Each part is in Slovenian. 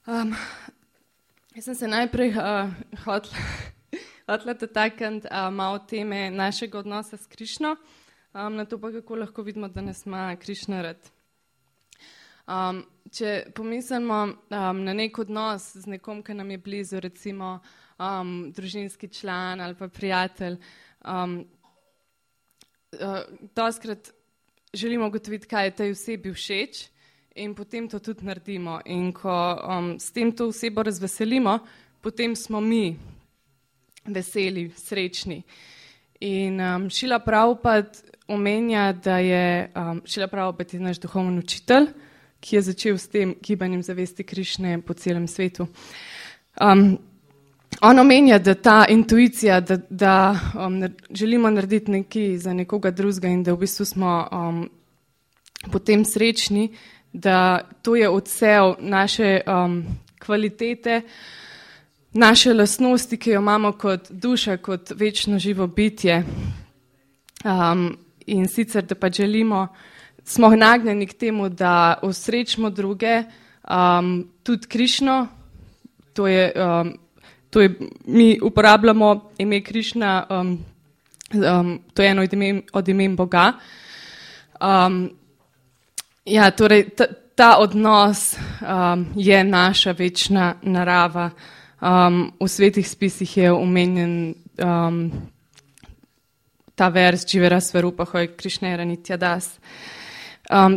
Jaz sem se najprej hotela dotakniti malo teme našega odnosa s Krišno, na to pa kako lahko vidimo, da nas ima Krišna rad. Če pomislimo na nek odnos z nekom, ki nam je blizu, recimo družinski član ali pa prijatelj, dostikrat želimo ugotoviti, kaj je tej osebi všeč in potem to tudi naredimo. In ko s tem to osebo razveselimo, potem smo mi veseli, srečni. In Šila Prabhupada omenja, da je Šila Prabhupada naš duhovni učitelj, ki je začel s tem gibanjem zavesti Krišne po celem svetu. On omenja, da ta intuicija, da želimo narediti nekaj za nekoga drugega in da v bistvu smo potem srečni, da to je odsev naše kvalitete, naše lastnosti, ki jo imamo kot duša, kot večno živo bitje. In sicer, da pa želimo, smo nagnjeni k temu, da osrečimo druge, tudi Krišno, to je, mi uporabljamo ime Krišna, to je eno od imen Boga. Ja, torej ta odnos je naša večna narava. V svetih spisih je omenjen ta vers Jivera Svarupa Hoj Krišnera Nitya Das.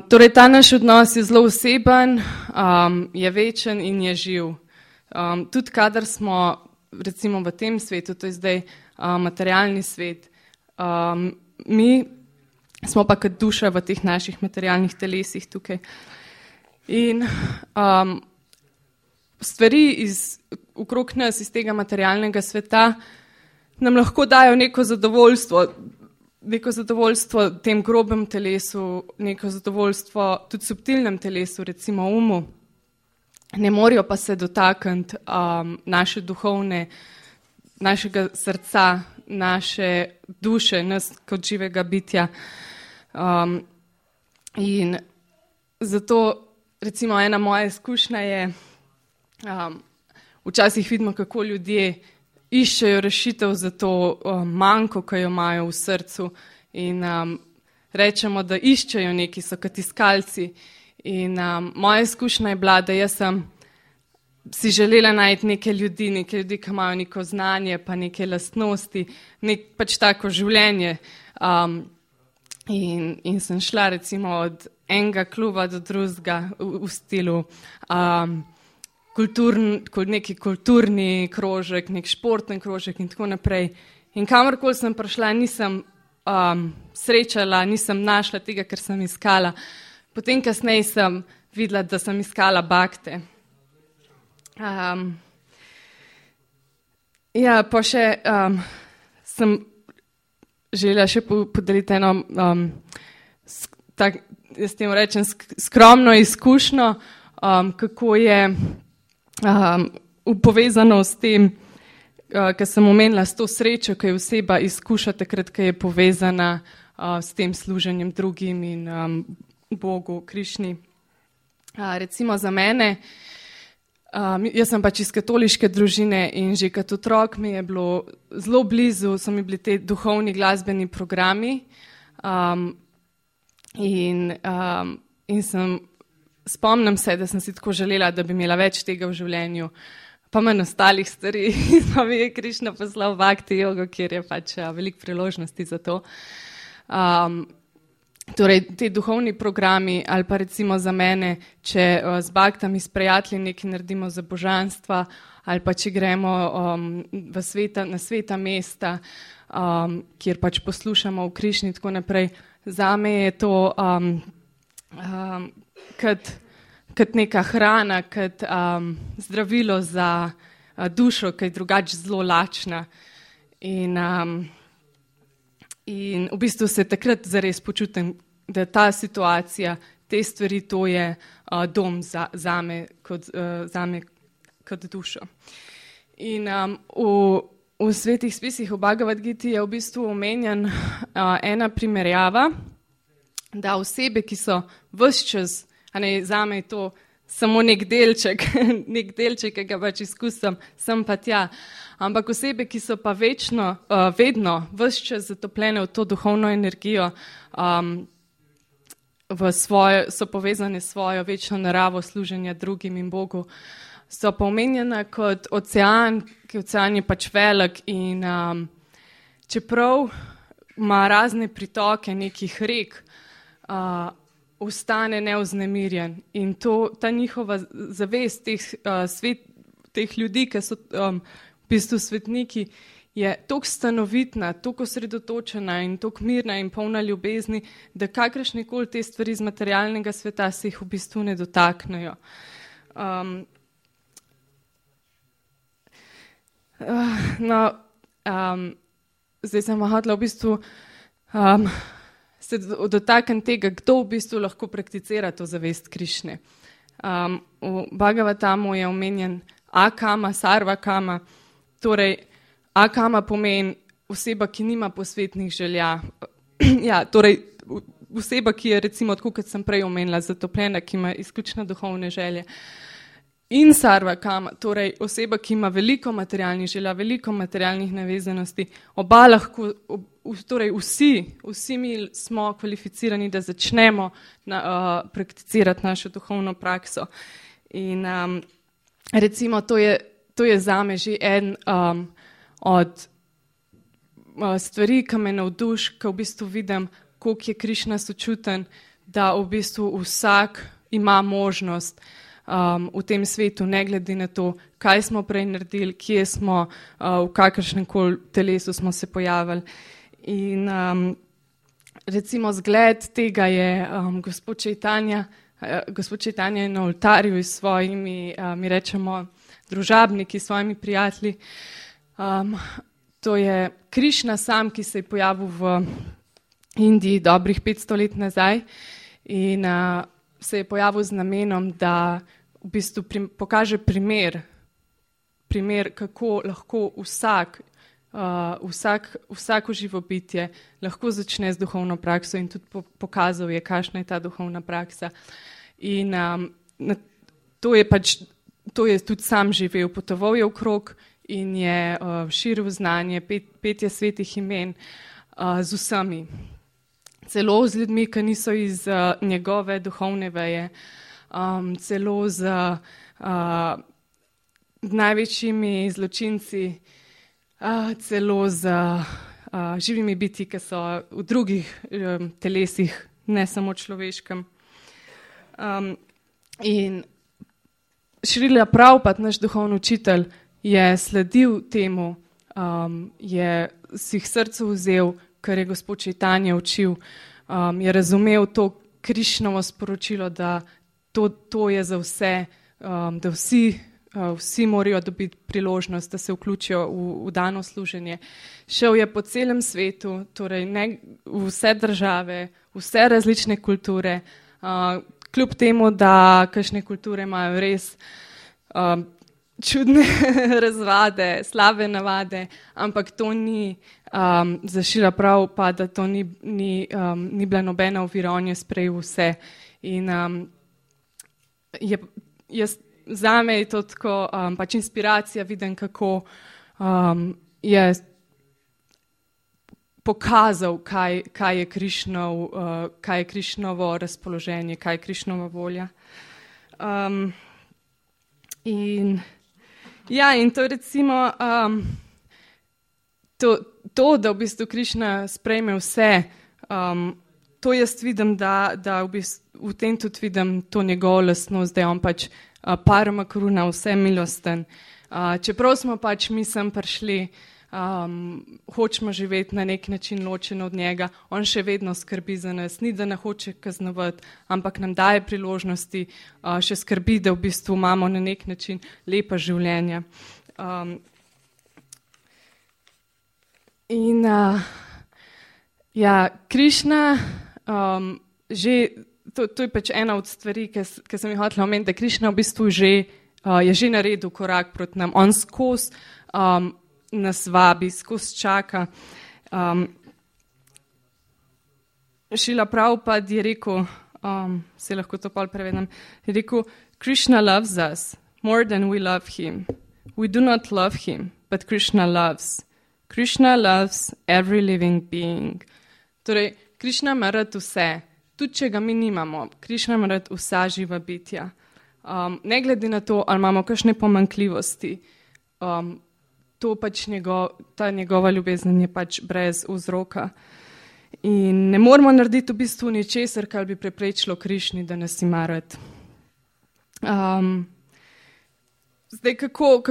Torej ta naš odnos je zelo oseben, je večen in je živ. Tudi kadar smo recimo v tem svetu, to je zdaj materialni svet, mi smo pa kot duša v teh naših materialnih telesih tukaj. In stvari okrog nas iz tega materialnega sveta nam lahko dajo neko zadovoljstvo tem grobem telesu, neko zadovoljstvo tudi subtilnem telesu, recimo umu. Ne morejo pa se dotakniti naše duhovne, našega srca, naše duše, nas kot živega bitja. In zato recimo ena moja izkušnja je, včasih vidimo, kako ljudje iščejo rešitev za to manko, ki jo imajo v srcu in rečemo, da iščejo neki, so kot iskalci. In moja izkušnja je bila, da jaz sem si želela najti neke ljudi, ki imajo neko znanje, pa neke lastnosti, pač tako življenje. In sem šla recimo od enega kluba do drugega v stilu neki kulturni krožek, nek športni krožek in tako naprej. In kamorkoli sem prišla, nisem srečala, nisem našla tega, kar sem iskala. Potem kasneje sem videla, da sem iskala bakte. Ja, pa še sem želela še podeliti eno, jaz temu rečem, skromno izkušnjo, kako je povezano s tem, kar sem omenila, s to srečo, ki jo oseba izkuša takrat, ko je povezana s tem služenjem drugim in Bogu, Krišni. Recimo za mene, jaz sem pač iz katoliške družine in že kot otrok mi je bilo zelo blizu, so mi bili te duhovni glasbeni programi in spomnim se, da sem si tako želela, da bi imela več tega v življenju, pa manj ostalih stvari. Pa mi je Krišna poslal Bhakti jogo, kjer je pač veliko priložnosti za to. Torej, te duhovni programi ali pa recimo za mene, če z baktami, s prijatelji nekaj naredimo za božanstva ali pa če gremo na sveta mesta, kjer pač poslušamo v Krišni in tako naprej. Zame je to kot neka hrana, kot zdravilo za dušo, ki je drugače zelo lačna. In v bistvu se takrat zares počutim, da ta situacija, te stvari, to je dom zame kot dušo. In v svetih spisih v Bhagavad Giti je v bistvu omenjen ena primerjava, da osebe, ki so ves čas, zame je to samo nek delček, ki ga pač izkusim, sem pa tja. Ampak osebe, ki so pa vedno, ves čas zatopljene v to duhovno energijo, so povezane s svojo večno naravo služenja drugim in Bogu, so pa omenjena kot ocean, ki ocean je pač velik in čeprav ima razne pritoke nekih rek, ostane neuznemirjen in ta njihova zavest teh ljudi, ki so v bistvu svetniki, je toliko stanovitna, toliko osredotočena in toliko mirna in polna ljubezni, da kakršnekoli te stvari iz materialnega sveta se jih v bistvu ne dotaknejo. Zdaj sem hotela v bistvu se dotakniti tega, kdo v bistvu lahko prakticira to zavest Krišne. V Bhagavatamu je omenjen Akama, Sarvakama, torej Akama pomeni oseba, ki nima posvetnih želja. Ja, torej oseba, ki je recimo, tako kot sem prej omenila, zatopljena, ki ima izključno duhovne želje. In Sarvakama, torej oseba, ki ima veliko materialnih želja, veliko materialnih navezanosti, oba lahko, torej vsi mi smo kvalificirani, da začnemo prakticirati našo duhovno prakso. In recimo to je zame že en od stvari, ki me navduši, ko v bistvu vidim, koliko je Krišna sočuten, da v bistvu vsak ima možnost v tem svetu, ne glede na to, kaj smo prej naredili, kje smo, v kakršnem koli telesu smo se pojavili. In recimo zgled tega je gospod Čejtanja. Gospod Čejtanja je na oltarju s svojimi, mi rečemo, družabniki, svojimi prijatelji. To je Krišna sam, ki se je pojavil v Indiji dobrih 500 let nazaj in se je pojavil z namenom, da v bistvu pokaže primer, kako lahko vsako živo bitje lahko začne z duhovno prakso in tudi pokazal je, kakšna je ta duhovna praksa. In to je tudi sam živel, potoval je okrog in je širil znanje, petje svetih imen z vsemi. Celo z ljudmi, ki niso iz njegove duhovne veje, celo z največjimi zločinci, celo z živimi bitji, ki so v drugih telesih, ne samo človeškem. In Šrila Prabhupada, naš duhovni učitelj, je sledil temu, je si jih srcu vzel, kar je gospod Čejtanja učil, je razumel to Krišnovo sporočilo, da to je za vse, da vsi morajo dobiti priložnost, da se vključijo v dano služenje. Šel je po celem svetu, torej vse države, vse različne kulture, kljub temu, da kakšne kulture imajo res čudne razvade, slabe navade, ampak to ni za Šrila Prabhupada, to ni bila nobena ovira, on je sprejel vse. In zame je to tako pač inspiracija, vidim, kako je pokazal, kaj je Krišnovo razpoloženje, kaj je Krišnova volja. In to recimo to, da v bistvu Krišna sprejme vse, to jaz vidim, da v tem tudi vidim to njegovo lastnost, da je on pač parama karuna, vse milosten. Čeprav smo pač mi sem prišli, hočemo živeti na nek način ločeno od njega, on še vedno skrbi za nas, ni da ne hoče kaznovati, ampak nam daje priložnosti, še skrbi, da v bistvu imamo na nek način lepa življenja. Krišna, to je pač ena od stvari, ki sem jih hotela omeniti, da Krišna v bistvu je že naredil korak proti nam, on skozi nas vabi, skozi čaka. Šrila Prabhupada je rekel, se lahko to pol prevedem, je rekel, Krishna loves us more than we love him. We do not love him, but Krishna loves. Krishna loves every living being. Torej, Krishna ima rad vse, tudi če ga mi nimamo. Krishna ima rad vsa živa bitja. Ne glede na to, ali imamo kakšne pomanjkljivosti, to pač ta njegova ljubezen je pač brez vzroka. In ne moramo narediti v bistvu ničesar, kar bi preprečilo Krišni, da nas ima rad. Zdaj, kako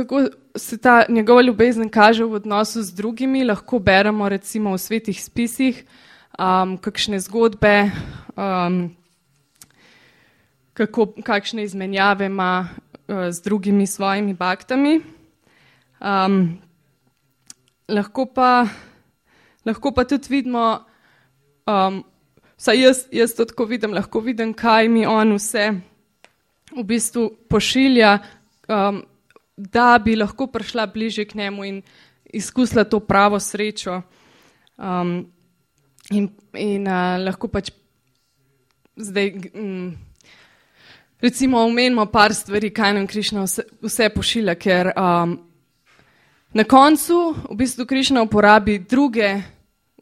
se ta njegova ljubezen kaže v odnosu z drugimi, lahko beremo recimo v svetih spisih, kakšne zgodbe, kakšne izmenjave ima z drugimi svojimi baktami. Lahko pa tudi vidimo, vsaj jaz to tako vidim, lahko vidim, kaj mi on vse v bistvu pošilja, da bi lahko prišla bliže k njemu in izkusila to pravo srečo. In lahko pač zdaj recimo omenimo par stvari, kaj nam Krišna vse pošilja, ker na koncu v bistvu Krišna uporabi druge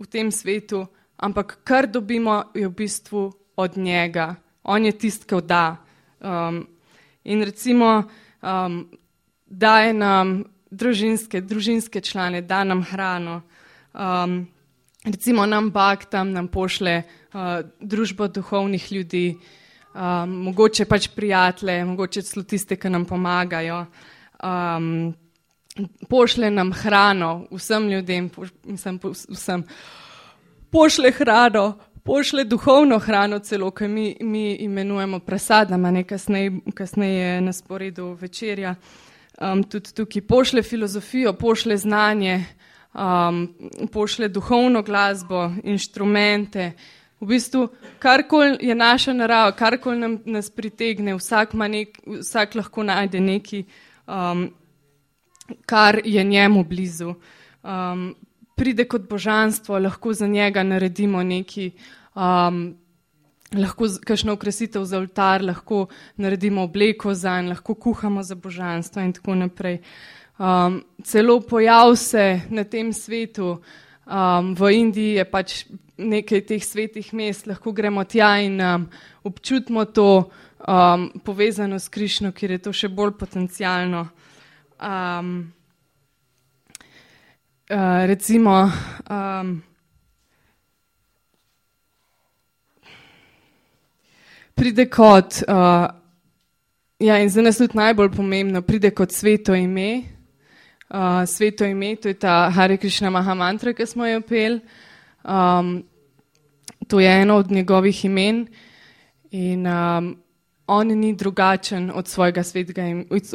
v tem svetu, ampak kar dobimo je v bistvu od njega. On je tisti, ki da. In recimo daje nam družinske člane, da nam hrano. Recimo nam baktam, nam pošle družbo duhovnih ljudi, mogoče pač prijatelje, mogoče celo tiste, ki nam pomagajo. Pošle nam hrano, vsem ljudem, vsem. Pošle hrano, pošle duhovno hrano celo, ki mi imenujemo prasadama, kasneje na sporedu večerja. Tudi tukaj pošle filozofijo, pošle znanje, pošle duhovno glasbo, inštrumente. V bistvu, karkoli je naša narava, karkoli nas pritegne, vsak lahko najde nekaj, kar je njemu blizu. Pride kot božanstvo, lahko za njega naredimo nekaj, lahko kakšno okrasitev za oltar, lahko naredimo obleko zanj, lahko kuhamo za božanstvo in tako naprej. Celo pojav se na tem svetu, v Indiji je pač nekaj teh svetih mest, lahko gremo tja in občutimo to povezano s Krišno, kjer je to še bolj potencialno. Recimo, pride kot, in za nas tudi najbolj pomembno, pride kot sveto ime. Sveto ime, to je ta Hare Krišna Maha Mantra, ki smo jo peli. To je eno od njegovih imen in on ni drugačen od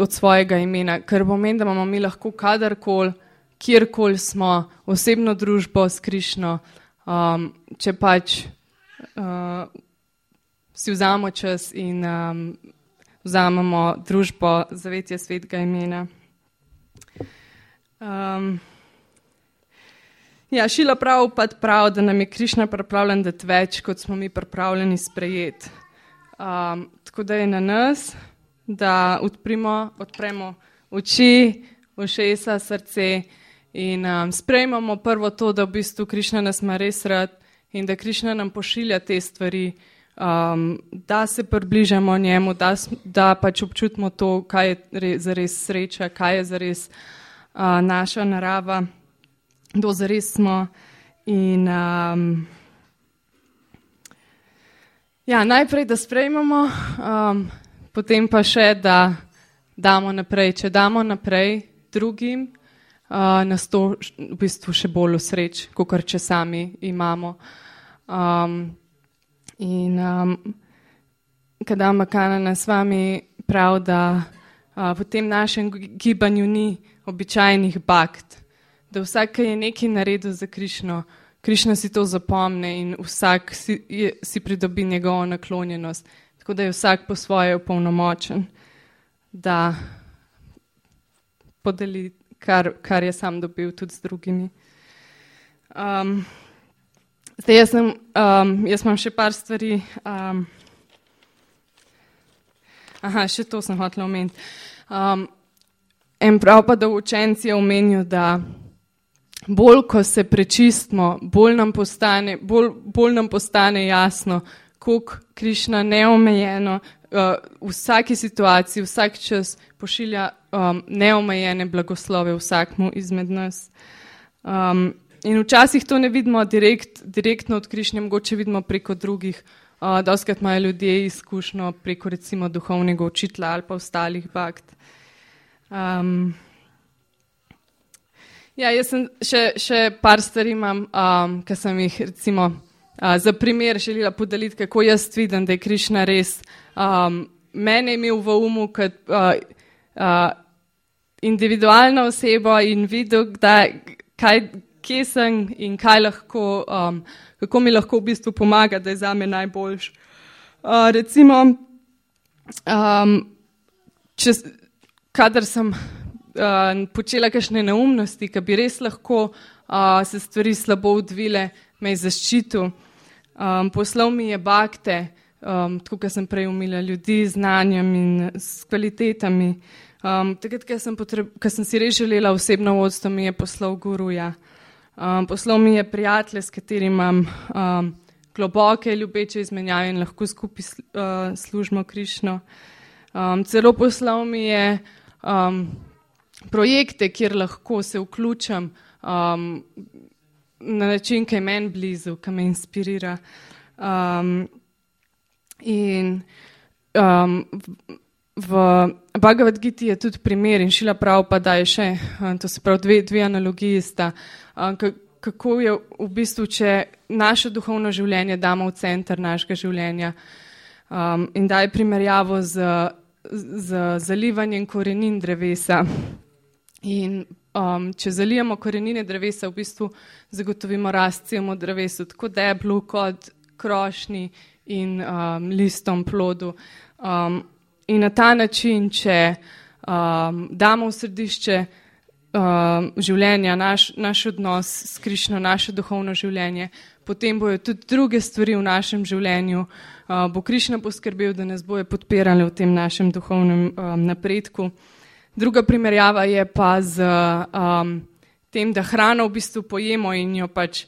svojega imena, kar pomeni, da imamo mi lahko kadarkoli, kjerkoli smo, osebno družbo s Krišno, če pač si vzamemo čas in vzamemo družbo zavetja svetega imena. Šila Prabhupada pravi, da nam je Krišna pripravljen dati več, kot smo mi pripravljeni sprejeti. Tako da je na nas, da odpremo oči, ušesa, srce in sprejmemo prvo to, da v bistvu Krišna nas ima res rad in da Krišna nam pošilja te stvari, da se približamo njemu, da pač občutimo to, kaj je zares sreča, kaj je zares naša narava, kdo zares smo. In najprej, da sprejmemo, potem pa še, da damo naprej. Če damo naprej drugim, nas to v bistvu še bolj osreč, kakor če sami imamo. Kadamba Kanana s vami pravi, da v tem našem gibanju ni običajnih bakt, da vsak, ki je nekaj naredil za Krišno, Krišna si to zapomne in vsak si pridobi njegovo naklonjenost. Tako da je vsak po svoje opolnomočen, da podeli, kar je sam dobil tudi z drugimi. Zdaj jaz imam še par stvari. Še to sem hotela omeniti. En prav pa, da učenci je omenil, da bolj, ko se prečistimo, bolj nam postane jasno, koliko Krišna neomejeno v vsaki situaciji, vsak čas pošilja neomejene blagoslove vsakmu izmed nas. In včasih to ne vidimo direktno od Krišnje, mogoče vidimo preko drugih. Dostikrat imajo ljudje izkušnjo preko recimo duhovnega učitelja ali pa ostalih bakt. Jaz sem še par stvari imam, ki sem jih recimo za primer želela podeliti, kako jaz vidim, da je Krišna res mene imel v umu kot individualno osebo in videl, kje sem in kaj lahko, kako mi lahko v bistvu pomaga, da je zame najboljš. Recimo, kadar sem počela kakšne neumnosti, ki bi res lahko se stvari slabo odvile, me je zaščitil. Poslal mi je bakte, tako kot sem prej umila ljudi z znanjem in s kvalitetami. Takrat, ko sem si res želela osebno vodstvo, mi je poslal guruja. Poslal mi je prijatelje, s katerimi imam globoke, ljubeče izmenjave in lahko skupaj služimo Krišno. Celo poslal mi je projekte, kjer lahko se vključim na način, ki je meni blizu, ki me inspirira. In v Bhagavad Giti je tudi primer in Šrila Prabhupada je še, to se pravi dve analogiji sta, kako je v bistvu, če naše duhovno življenje damo v center našega življenja in daje primerjavo z zalivanjem korenin drevesa. In če zalijemo korenine drevesa, v bistvu zagotovimo rast celemu drevesu, tako deblu kot krošnji in listom, plodu. In na ta način, če damo v središče življenja naš odnos s Krišno, naše duhovno življenje, potem bojo tudi druge stvari v našem življenju, bo Krišna poskrbel, da nas bojo podpirali v tem našem duhovnem napredku. Druga primerjava je pa z tem, da hrano v bistvu pojemo in jo pač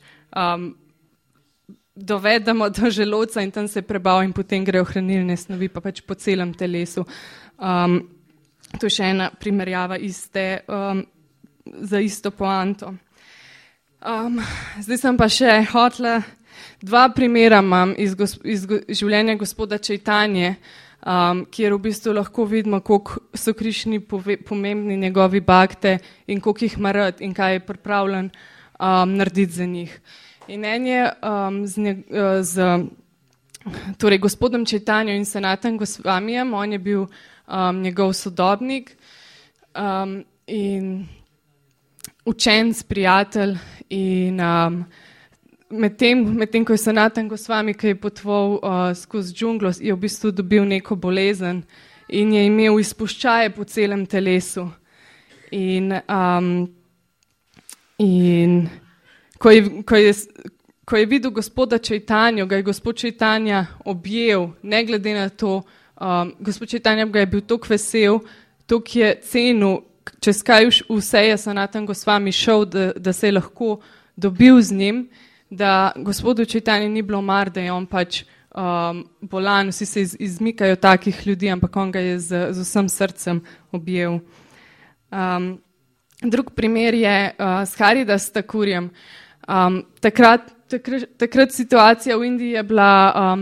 dovedemo do želodca in tam se prebavi in potem grejo hranilne snovi pa pač po celem telesu. To je še ena primerjava za isto poanto. Zdaj sem pa še hotela, dva primera imam iz življenja gospoda Čajtanje, kjer v bistvu lahko vidimo, koliko so Krišni pomembni njegovi bakte in koliko jih ima rad in kaj je pripravljen narediti za njih. In en je torej gospodom Čajtanjo in Sanatan Gosvamijem, on je bil njegov sodobnik in učenec, prijatelj in medtem ko je Sanatan Gosvami, ki je potoval skozi džunglo, je v bistvu dobil neko bolezen in je imel izpuščaje po celem telesu. In ko je videl gospoda Čajtanjo, ga je gospod Čajtanja objel, ne glede na to, gospod Čajtanja ga je bil toliko vesel, toliko je cenil, čez kaj vse je Sanatan Gosvami šel, da se je lahko dobil z njim, da gospodu Čajtanji ni bilo mar, da je on pač bolan, vsi se izmikajo takih ljudi, ampak on ga je z vsem srcem objel. Drug primer je s Haridas Thakurjem. Takrat situacija v Indiji je bila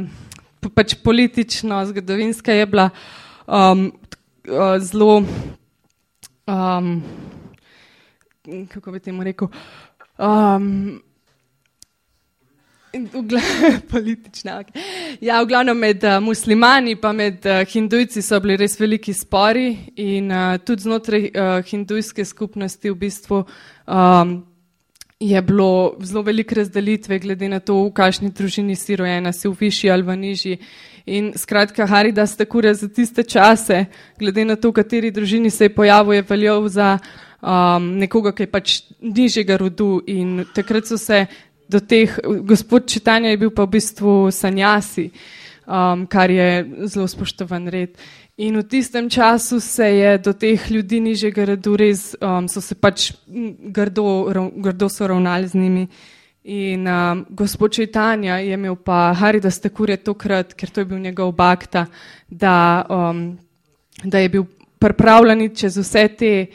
pač politično, zgodovinska je bila zelo, kako bi temu rekel, politična. Ja, v glavnem med muslimani pa med hindujci so bili res veliki spori in tudi znotraj hindujske skupnosti v bistvu je bilo zelo velike razdelitve glede na to, v kakšni družini si rojena, si v višji ali v nižji. In skratka, Haridas Thakur za tiste čase, glede na to, v kateri družini se je pojavil, je veljal za nekoga, ki je pač nižjega rodu in takrat so se do teh, gospod Čajtanja je bil pa v bistvu sanjasi, kar je zelo spoštovan red. In v tistem času se je do teh ljudi nižjega redu res, so se pač grdo so ravnali z njimi. In gospod Čajtanja je imel pa Haridas Thakur tokrat, ker to je bil njegov bakta, da je bil pripravljen čez vse te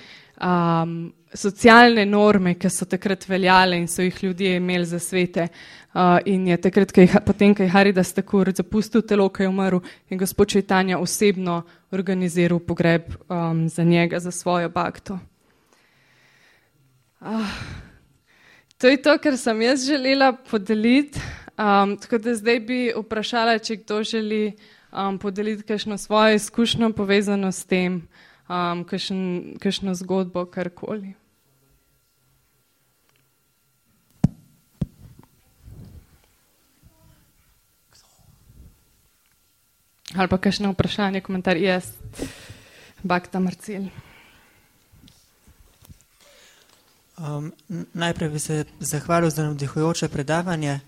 socialne norme, ki so takrat veljale in so jih ljudje imeli za svete. In je takrat, potem, ko je Haridas Thakur zapustil telo, ko je umrl, je gospod Čajtanja osebno organiziral pogreb za njega, za svojo bakto. To je to, kar sem jaz želela podeliti. Tako da zdaj bi vprašala, če kdo želi podeliti kakšno svojo izkušnjo povezano s tem, kakšno zgodbo, karkoli. Ali pa kakšno vprašanje, komentar. Jaz, bakta Marcel. Najprej bi se zahvalil za navdihujoče predavanje.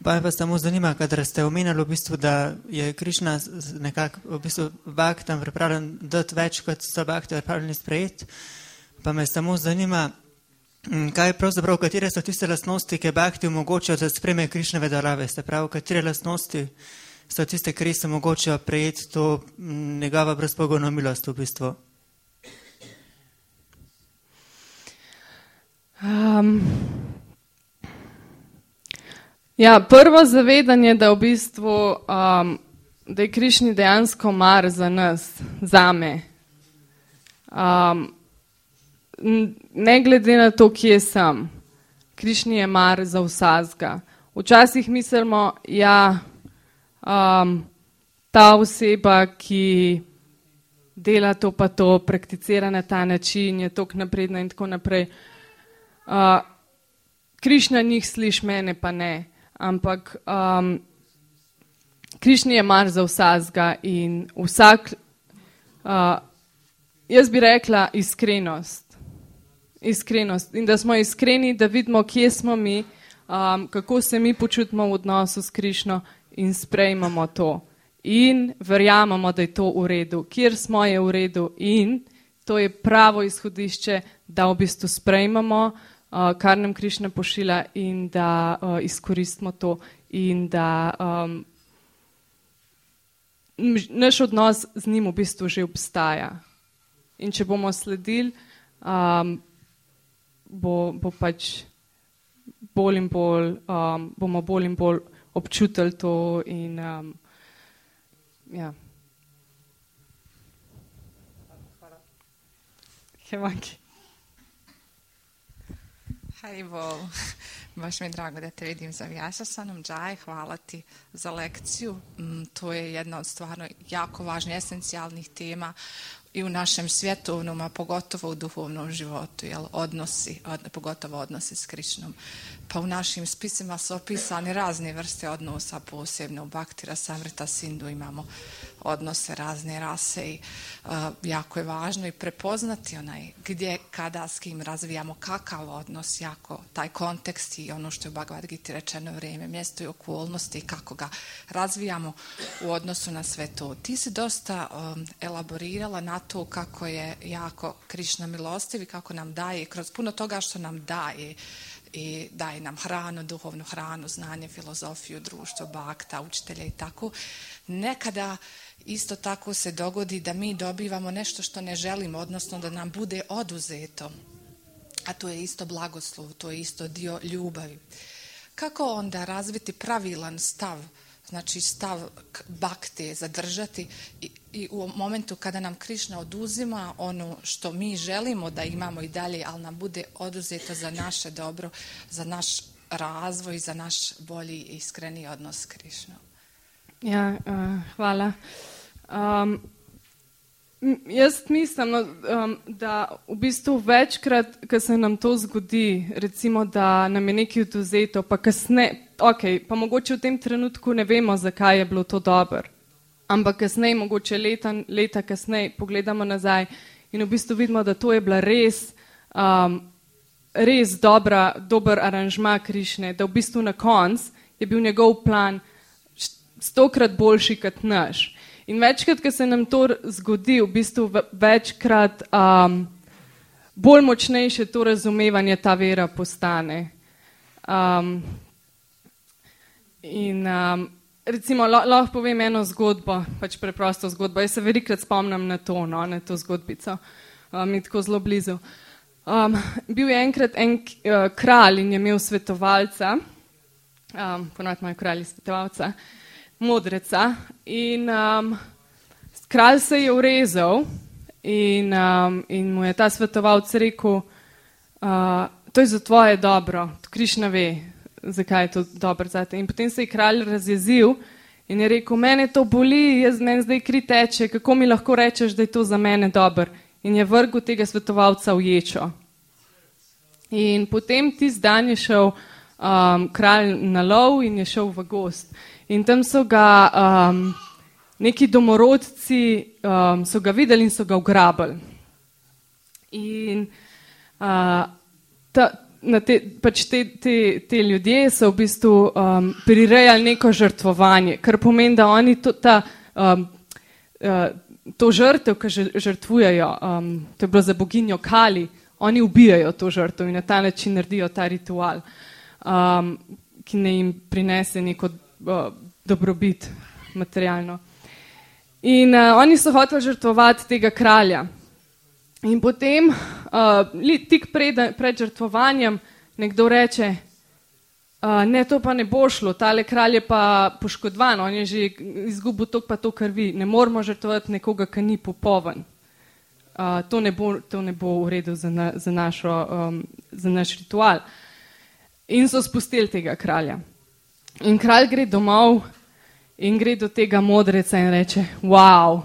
Pa me samo zanima, kadar ste omenjali v bistvu, da je Krišna nekako v bistvu baktam pripravljen dati več, kot so bakti pripravljeni sprejeti. Pa me samo zanima, kaj pravzaprav, katere so tiste lastnosti, ki bakti omogočajo, da sprejme Krišnove darove. Se pravi, katere lastnosti so tiste, ki res omogočajo prejeti to njegova brezpogojno milost v bistvu. Prvo zavedanje, da v bistvu, da je Krišni dejansko mar za nas, zame. Ne glede na to, kje sem, Krišni je mar za vsazga. Včasih mislimo, ta oseba, ki dela to pa to, prakticira na ta način, je toliko napredna in tako naprej. Krišna njih sliš, mene pa ne. Ampak Krišni je mar za vsazga in vsak, jaz bi rekla iskrenost. Iskrenost. In da smo iskreni, da vidimo, kje smo mi, kako se mi počutimo v odnosu s Krišno in sprejmemo to. In verjamemo, da je to v redu. Kjer smo, je v redu in to je pravo izhodišče, da v bistvu sprejmemo, kar nam Krišna pošilja in da izkoristimo to in da naš odnos z njim v bistvu že obstaja. In če bomo sledili, bo pač bolj in bolj, bomo bolj in bolj občutili to in ja. Hevanki. Haribo, baš mi je drago da te vidim za Vjasasanom. Džaj, hvala ti za lekciju. To je jedna od stvarno jako važnih, esencijalnih tema i u našem svjetovnom, a pogotovo u duhovnom životu, pogotovo odnosi s Krišnom. Pa u našim spisima su opisane razne vrste odnosa, posebno u Bhakti Rasamrita Sindhu imamo odnose razne rase i jako je važno i prepoznati gdje, kada, s kim razvijamo kakav odnos, jako taj kontekst i ono što je u Bhagavad Gita rečeno vrijeme, mjesto i okolnosti i kako ga razvijamo u odnosu na sve to. Ti si dosta elaborirala na to kako je jako Krišna milostiv i kako nam daje kroz puno toga što nam daje i daje nam hranu, duhovnu hranu, znanje, filozofiju, društvo, bakta, učitelja i tako. Nekada isto tako se dogodi da mi dobivamo nešto što ne želimo, odnosno da nam bude oduzeto, a to je isto blagoslov, to je isto dio ljubavi. Kako onda razviti pravilan stav, znači stav bakte zadržati i u momentu kada nam Krišna oduzima ono što mi želimo da imamo i dalje, ali nam bude oduzeto za naše dobro, za naš razvoj, za naš bolji i iskreni odnos s Krišnom. Ja, hvala. Jaz mislim, da v bistvu večkrat, ko se nam to zgodi, recimo, da nam je nekaj oduzeto, pa kasneje, pa mogoče v tem trenutku ne vemo, zakaj je bilo to dobro, ampak kasneje, mogoče leta kasneje, pogledamo nazaj in v bistvu vidimo, da to je bila res dober aranžma Krišne, da v bistvu na koncu je bil njegov plan 100-krat boljši kot naš. In večkrat, ko se nam to zgodi, v bistvu večkrat bolj močnejše to razumevanje ta vera postane. Recimo, lahko povem eno zgodbo, pač preprosto zgodbo. Jaz se velikrat spomnim na to zgodbico. Mi tako zelo blizu. Bil je enkrat en kralj in je imel svetovalca, ponovadi imajo kralji svetovalca, modreca, in kralj se je urezal in mu je ta svetovalc rekel, to je za tvoje dobro, Krišna ve, zakaj je to dobro zate. In potem se je kralj razjezil in je rekel, mene to boli, meni zdaj kri teče, kako mi lahko rečeš, da je to za mene dobro. In je vrgel tega svetovalca v ječo. In potem tisti dan je šel kralj na lov in je šel v gozd. In tam so ga neki domorodci so ga videli in so ga ugrabili. In te ljudje so v bistvu prirejali neko žrtvovanje, kar pomeni, da oni to žrtev, ki žrtvujejo, to je bilo za boginjo Kali, oni ubijajo to žrtev in na ta način naredijo ta ritual, ki ne jim prinese neko dobrobit materialno. In oni so hoteli žrtvovati tega kralja. In potem, tik pred žrtvovanjem, nekdo reče, ne, to pa ne bo šlo, tale kralj je pa poškodovan, on je že izgubil toliko pa to krvi, ne moramo žrtvovati nekoga, ki ni popoln. To ne bo v redu za naš ritual. In so spustili tega kralja. In kralj gre domov in gre do tega modreca in reče, wow,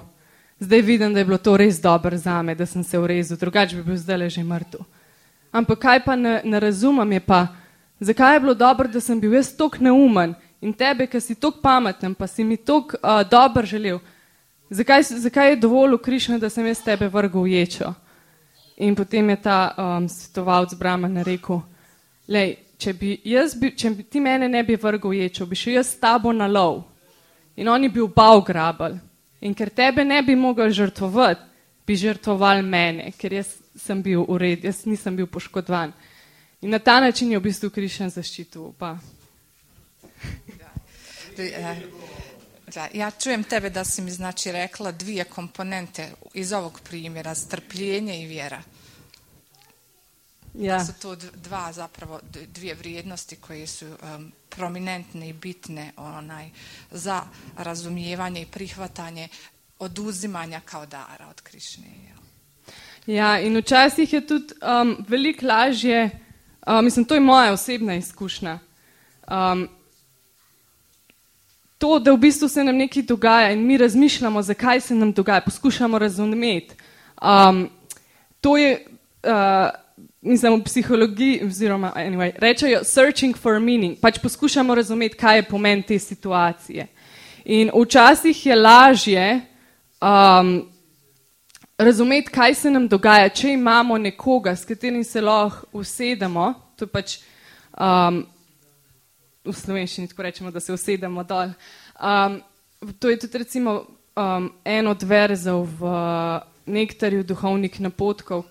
zdaj vidim, da je bilo to res dobro zame, da sem se urezil, drugače bi bil zdaj že mrtev. Ampak kaj pa ne razumem je pa, zakaj je bilo dobro, da sem bil jaz toliko neumen in tebe, ki si toliko pameten, pa si mi toliko dobro želel, zakaj je dovolj Krišna, da sem jaz tebe vrgel v ječo? In potem je ta svetovalec Brahmana rekel, lej, če ti mene ne bi vrgel v ječo, bi šel jaz s tabo na lov in oni bi oba ugrabili. In ker tebe ne bi mogel žrtvovati, bi žrtvoval mene, ker jaz sem bil v redu, jaz nisem bil poškodovan. In na ta način je v bistvu Krišna zaščitil oba. Ja čujem tebe da si mi znači rekla dvije komponente iz ovog primjera, strpljenje i vjera. Ja. Da su to dvije vrijednosti koje su prominentne i bitne za razumijevanje i prihvatanje oduzimanja kao dara od Krišne. Ja, in včasih je tudi veliko lažje, mislim, to je moja osebna izkušnja. To, da v bistvu se nam nekaj dogaja in mi razmišljamo, zakaj se nam dogaja, poskušamo razumeti. To je, mislim, v psihologiji, oziroma, anyway, rečejo searching for meaning, pač poskušamo razumeti, kaj je pomen te situacije. In včasih je lažje razumeti, kaj se nam dogaja, če imamo nekoga, s katerim se lahko usedemo, to je pač v slovenščini tako rečemo, da se usedemo dol. To je tudi recimo en od verzov v Nektarju duhovnih napotkov,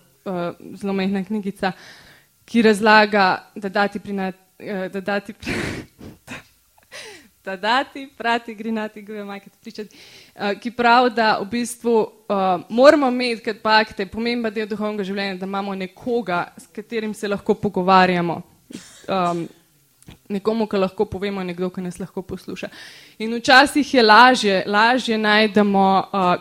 zelo majhna knjigica, ki razlaga, da dati prati grinati gove majkati pričati, ki pravi, da v bistvu moramo imeti, kad pa akte, pomemben del duhovnega življenja, da imamo nekoga, s katerim se lahko pogovarjamo. Nekomu, ki lahko povemo, nekdo, ki nas lahko posluša. In včasih je lažje najdemo,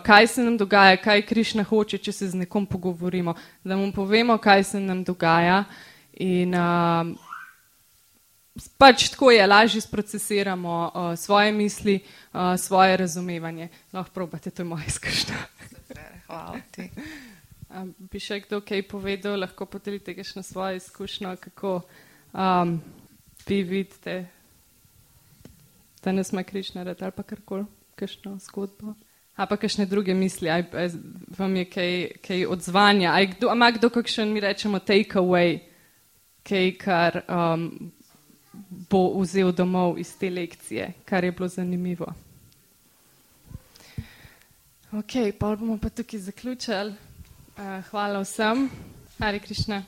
kaj se nam dogaja, kaj Krišna hoče, če se z nekom pogovorimo, da mu povemo, kaj se nam dogaja in pač tako je, lažje sprocesiramo svoje misli, svoje razumevanje. Lahko probate, to je moja izkušnja. Hvala ti. Bi še kdo kaj povedal, lahko podelite kakšno svojo izkušnjo, kako vi vidite, da nas ima Krišna rad ali pa karkoli, kakšno zgodbo. A pa kakšne druge misli, vam je kaj odzvanja, ima kdo kakšen, mi rečemo take away, kaj kar bo vzel domov iz te lekcije, kar je bilo zanimivo. Ok, pa bomo pa tukaj zaključili. Hvala vsem. Hare Krišna.